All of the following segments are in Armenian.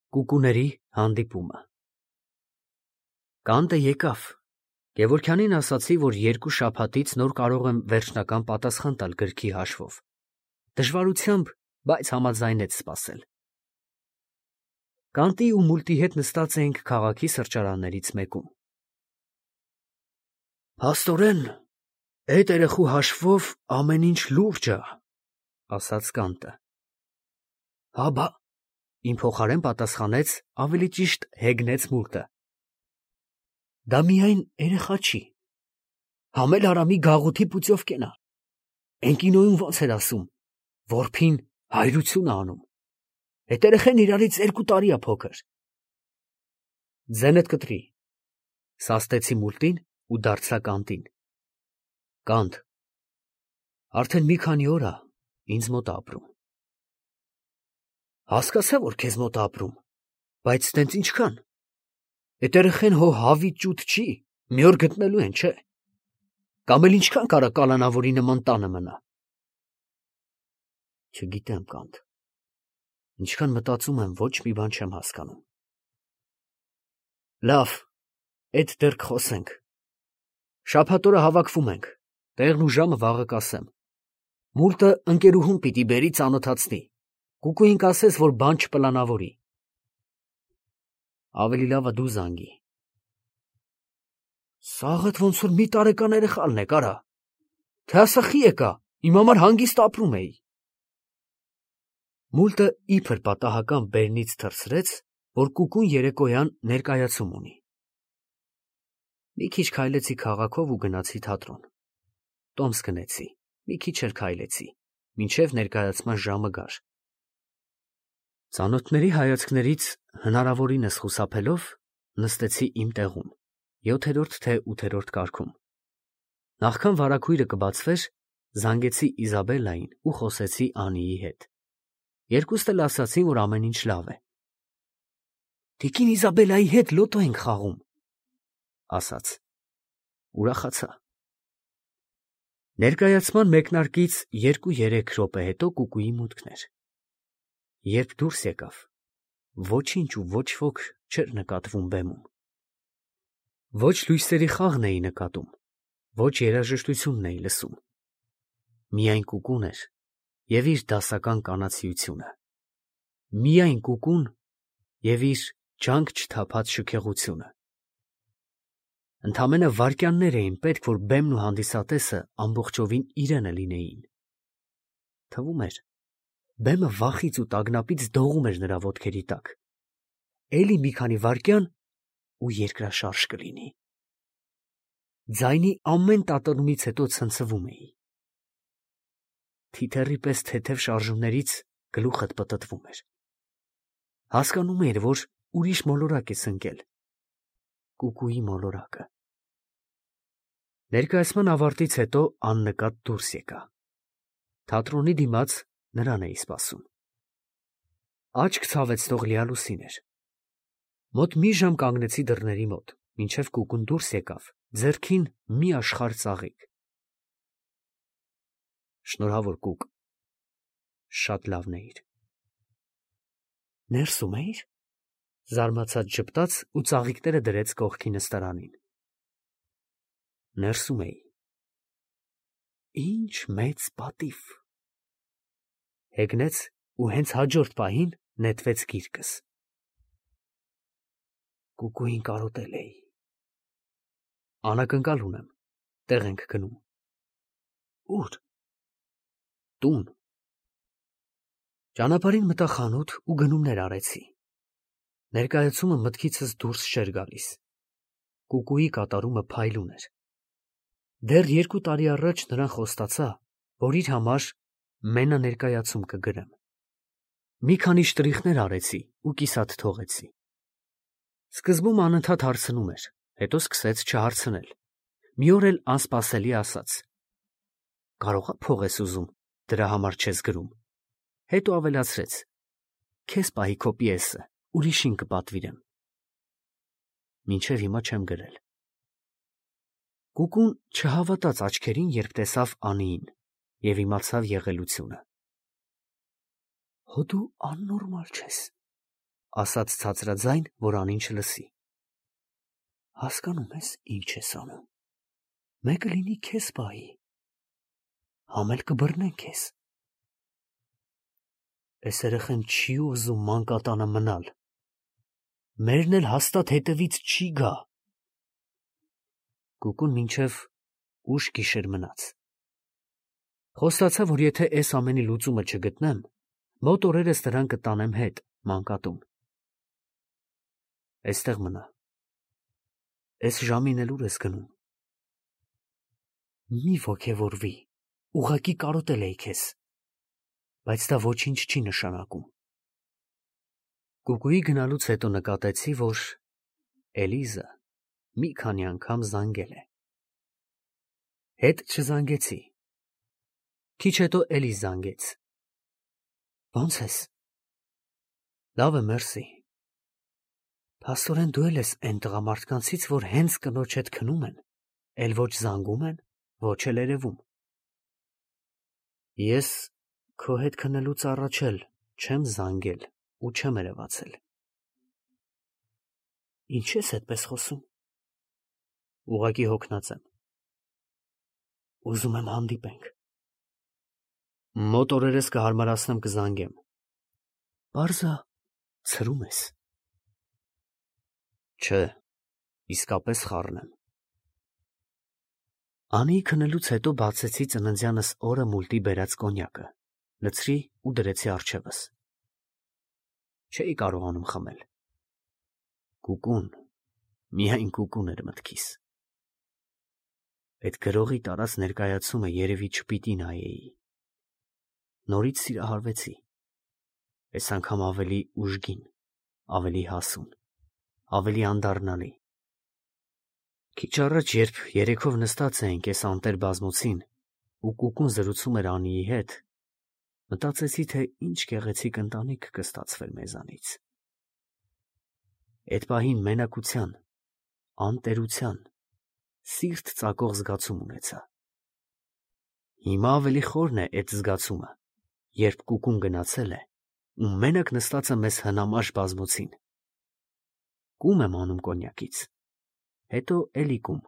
Կուկուների հանդիպումը։ Կանտը եկավ։ Գևորգյանին ասացի, որ 2 շաբաթից նոր կարող եմ վերջնական պատասխան տալ գրքի հաշվով։ Դժվարությամբ, բայց համաձայնեց սպասել։ Կանտի ու Մուլտի հետ նստած էինք քաղաքի սրճարաններից մեկում։ Փաստորեն, էդ երեխու հաշվով ամեն ինչ լուրջ ա, ասաց Կանտը։ Հա բա, իմ փոխարեն պատասխանեց, ավելի ճիշտ հեգնեց Մուլտը։ Դա միայն երեխա չի։ Համել Արամի գաղութի պուծյով կենա։ Էն կինոյում ոնց էր ասում, որփին հայրություն ա անում։ Էդ երեխեն իրարից 2 տարի ա փոքր։ Ձենդ կտրի, սաստեցի Մուլտին ու դարձա Կանտին։ Կանտ, արդեն մի քանի օր ա ինձ մոտ ապրում։ Հասկացա, որ քեզ մոտ ապրում, բայց տենց ինչքան։ Էդ երեխեն հո հավիտ ճուտ չի, մի օր գտնելու են, չէ։ Կամ էլ ինչքան կարա կալանավորի նման տանը մնա։ Չգիտեմ, Կանտ։ Ինչքան մտածում եմ, ոչ մի բան չեմ հասկանում։ Լավ, էդ դեռ կխոսենք։ Շաբաթ օրը հավաքվում ենք, տեղն ու ժամը վաղը կասեմ։ Մուլտը ընկերուհուն պիտի բերի ծանոթացնի։ Կուկուին կասես, որ բան չպլանավորի։ Ավելի լավ ա դու զանգի։ Սաղդ ոնց որ մի տարեկան երեխալն է, կարա։ Թե ասա խի եկա, իմ համար հանգիստ ապրում էի։ Մուլտը իբր պատահական բերնից թռցրեց, որ Կուկուն երեկոյան ներկայացում ունի։ Մի քիչ քայլեցի քաղաքով ու գնացի թատրոն։ Տոմս գնեցի, մի քիչ էլ քայլեցի, մինչև ներկայացման ժամը գար։ Ծանոթների հայացքներից հնարավորինս խուսափելով նստեցի իմ տեղում, 7-րդ թե 8-րդ կարգում։ Նախքան վարագույրը կբացվեր, զանգեցի Իզաբելլային ու խոսեցի Անիի հետ։ Երկուստ էլ ասացին, որ ամեն ինչ լավ է։ Տիկին Իզաբելլայի հետ լոտո ենք խաղում, ասաց։ Ուրախացա։ Ներկայացման մեկնարկից 2-3 րոպե հետո Կուկուի մուտքն էր։ Երբ դուրս եկավ, ոչինչ ու ոչ ոք չէր նկատվում բեմում։ Ոչ լույսերի խաղն էի նկատում, ոչ երաժշտությունն էի լսում։ Միայն Կուկուն էր և իր դասական կանացիությունը։ Միայն Կուկուն և իր ջանք չթափած շքեղությունը։ Ընդամենը վայրկյաններ էին պետք, որ բեմն ու հանդիսատեսը ամբողջովին իրենը լինեին։ Թվում էր, բեմը վախից ու տագնապից դողում էր նրա ոտքերի տակ։ Էլի մի քանի վայրկյան ու երկրաշարժ կլինի։ Ձայնի ամեն տատանումից հետո ցնցվում էի։ Թիթեռի պես թեթև շարժումներից գլուխդ պտտվում էր։ Հասկանում էիր, որ ուրիշ մոլորակ ես ընկել։ Կուկուի մոլորակը։ Ներկայացման ավարտից հետո աննկատ դուրս եկա։ Թատրոնի դիմաց նրան էի սպասում։ Աչք ցավեցնող լիալուսին էր։ Մոտ մի ժամ կանգնեցի դռների մոտ, մինչև Կուկուն դուրս եկավ, ձեռքին մի աշխարհ ծաղիկ։ Շնորհավոր Կուկ, շատ լավն էիր։ Ներսում էիր, զարմացած ժպտաց ու ծաղիկները դրեց կողքի նստարանին։ Ներսում էի։ Ինչ մեծ պատիվ։ Հեգնեց ու հենց հաջորդ պահին նետվեց գիրկս։ Կուկուին կարոտել էի։ Անակնկալ ունեմ, տեղ ենք գնում։ Ուր։ Տուն։ Ճանապարհին մտա խանութ ու գնումներ արեցի։ Ներկայացումը մտքիցս դուրս չէր գալիս։ Կուկուի կատարումը փայլուն էր։ Դեռ 2 տարի առաջ նրան խոստացա, որ իր համար մենաներկայացում կգրեմ։ Մի քանի շտրիխներ արեցի ու կիսատ թողեցի։ Սկզբում անընդհատ հարցնում էր, հետո սկսեց չհարցնել։ Մի օր էլ անսպասելի ասաց. Կարողա փող ես ուզում, դրա համար չես գրում։ Հետո ավելացրեց. Քեզ պահի քո պիեսը, ուրիշին կպատվիրեմ։ Մինչև հիմա չեմ գրել։ Կուկուն չհավատաց աչքերին, երբ տեսավ Անիին, և իմացավ եղելությունը։ Հո դու աննորմալ չես։ ասաց ցածրաձայն, որ անին չլսի։ Հասկանում ես ինչ ես անում։ Մեկը լինի քեզ պահի։ Համել կբռնեն քեզ։ Էս երեխեն չի ուզում մանկատանը մնալ։ Մերն էլ հաստատ հետևից չի գա։ Կուկուն մինչև ուշ գիշեր մնաց։ Խոստացա, որ եթե այս ամենի լուծումը չգտնեմ, մոտ օրերս նրան կտանեմ հետ մանկատուն։ Էստեղ մնա։ Էս ժամին էլ ուր ես գնում։ Մի ոգևորվի, ուղղակի կարոտել էի քեզ, բայց դա ոչինչ չի նշանակում։ Կուկուի գնալուց հետո նկատեցի, որ Էլիզը մի քանի անգամ զանգել է։ Հետ չզանգեցի։ Քիչ հետո էլի զանգեց։ Ո՞նց ես։ Լավ է, մերսի։ Փաստորեն դու էլ ես այն տղամարդկանցից, որ հենց կնոջ հետ քնում են, էլ ոչ զանգում են, ոչ էլ երևում։ Ես քո հետ քնելուց առաջ էլ չեմ զանգել ու չեմ երևացել։ Ինչ ես այդպես խոսում։ Ուղղակի հոգնած եմ։ Ուզում եմ հանդիպենք։ Մոտ օրերս կհարմարացնեմ կզանգեմ։ Պարզա ցրում ես։ Չէ, իսկապես խառն եմ։ Անի քնելուց հետո բացեցի ծննդյանս օրը մուլտի բերած կոնյակը, լցրի ու դրեցի առջևս։ Չէի կարողանում խմել։ Կուկուն, միայն կուկուն էր մտքիս։ Այդ գրողի տարած ներկայացումը երևի չպիտի նայեի։ Նորից սիրահարվեցի։ Այս անգամ ավելի ուժգին, ավելի հասուն, ավելի անդառնալի։ Քիչ առաջ, երբ երեքով նստած էինք այս անտեր բազմոցին ու կուկուն զրուցում էր Անիի հետ, մտածեցի, թե ինչ գեղեցիկ ընտանիք կստացվեր մեզանից։ Այդ պահին մենակության, անտերության, սիրտ ծակող զգացում ունեցա։ Հիմա ավելի խորն է այդ զգացումը, երբ կուկուն գնացել է ու մենակ նստած է մեզ հնամաշ բազմոցին։ Կում եմ անում կոնյակից, հետո էլի կում։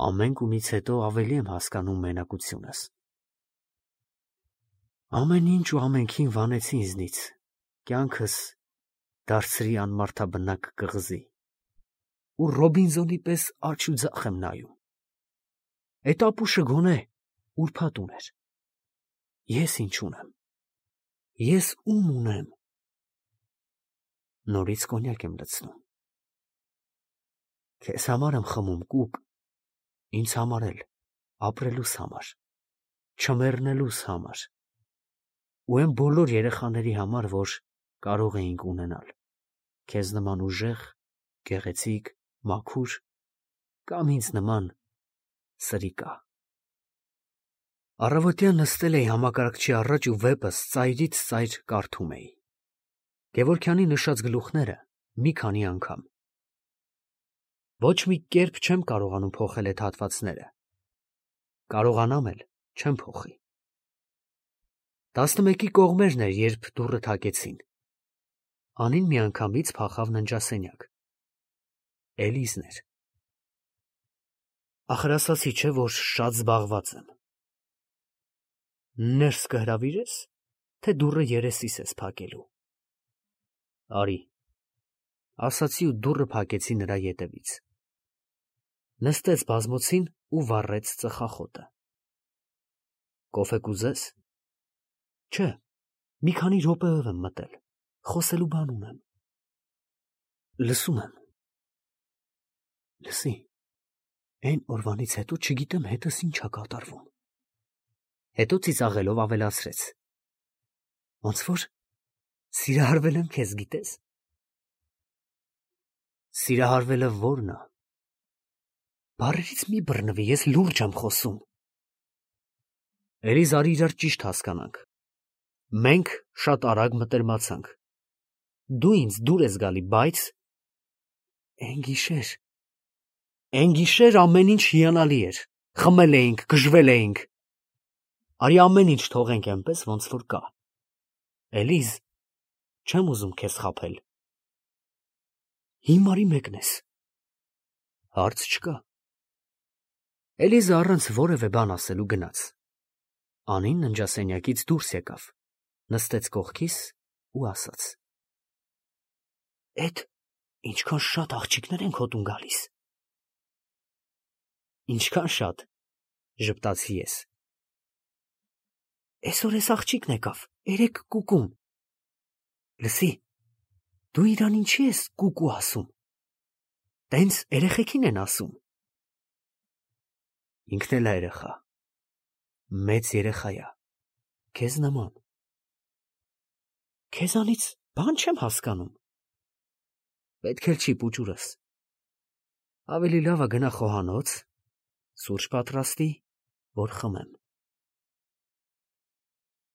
Ամեն կումից հետո ավելի եմ հասկանում մենակությունս։ Ամեն ինչ ու ամենքին վանեցի ինձնից, կյանքս դարձրի անմարդաբնակ կղզի, ու Ռոբինզոնի պես աջ ու ձախ եմ նայում։ Էդ ապուշը գոնե ուրբաթ ուներ։ Ես ինչ ունեմ։ Ես ում ունեմ։ Նորից կոնյակ եմ լցնում։ Քեզ համար եմ խմում, Կուկ, ինձ համար էլ, ապրելուս համար, չմեռնելուս համար, ու այն բոլոր երեխաների համար, որ կարող էինք ունենալ, քեզ նման ուժեղ, գեղեցիկ, մաքուր, կամ ինձ նման սրիկա։ Առավոտյան նստել էի համակարգչի առաջ ու վեպս ծայրից ծայր կարդում էի։ Գևորգյանի նշած գլուխները մի քանի անգամ։ Ոչ մի կերպ չեմ կարողանում փոխել այդ հատվածները։ Կարողանամ էլ չեմ փոխի։ 11-ի կողմերն էր, երբ դուռը թակեցին։ Անին միանգամից փախավ ննջասենյակ։ Էլիզն էր։ Ախր ասացի չէ, որ շատ զբաղված եմ։ Ներս կհրավիրես, թե դուռը երեսիս ես փակելու։ Արի, ասացի ու դուռը փակեցի նրա ետևից։ Նստեց բազմոցին ու վառեց ծխախոտը։ Կոֆե կուզես։ Չէ, մի քանի րոպեով եմ մտել, խոսելու բան ունեմ։ Լսում եմ։ Լսի, այն օրվանից հետո չգիտեմ հետս ինչ ա կատարվում։ Հետո ծիծաղելով ավելացրեց. Ոնց որ սիրահարվել եմ քեզ, գիտես։ Սիրահարվելը ո՞րն է։ Բառերից մի բռնվի, ես լուրջ եմ խոսում։ Էլի զարի իրար ճիշտ հասկանանք։ Մենք շատ արագ մտերմացանք։ Դու ինձ դուր ես գալի, բայց Էն գիշեր ամեն ինչ հիանալի էր։ Խմել էինք, գժվել էինք։ Արի ամեն ինչ թողենք այնպես, ոնց որ կա։ Էլիզ, Չեմ ուզում քեզ խաբել։ Հիմարի մեկն ես։ Հարց չկա։ Էլիզը առանց որևէ բան ասելու գնաց։ Անին ննջասենյակից դուրս եկավ, նստեց կողքիս ու ասաց. Էդ ինչքան շատ աղջիկներ են քո տուն գալիս։ Ինչքան շատ, ժպտացի ես։ Այսօր էս աղջիկն եկավ, 3 կուկուն։ Լսի, դու իրան ինչի ես կուկու ասում։ Տենց երեխեքին են ասում։ Ինքն էլ է երեխա։ Մեծ երեխա է, քեզ նման։ Քեզանից բան չեմ հասկանում։ Պետք էլ չի պուճուրս։ Ավելի լավ է գնա խոհանոց, սուրճ պատրաստի, որ խմեմ։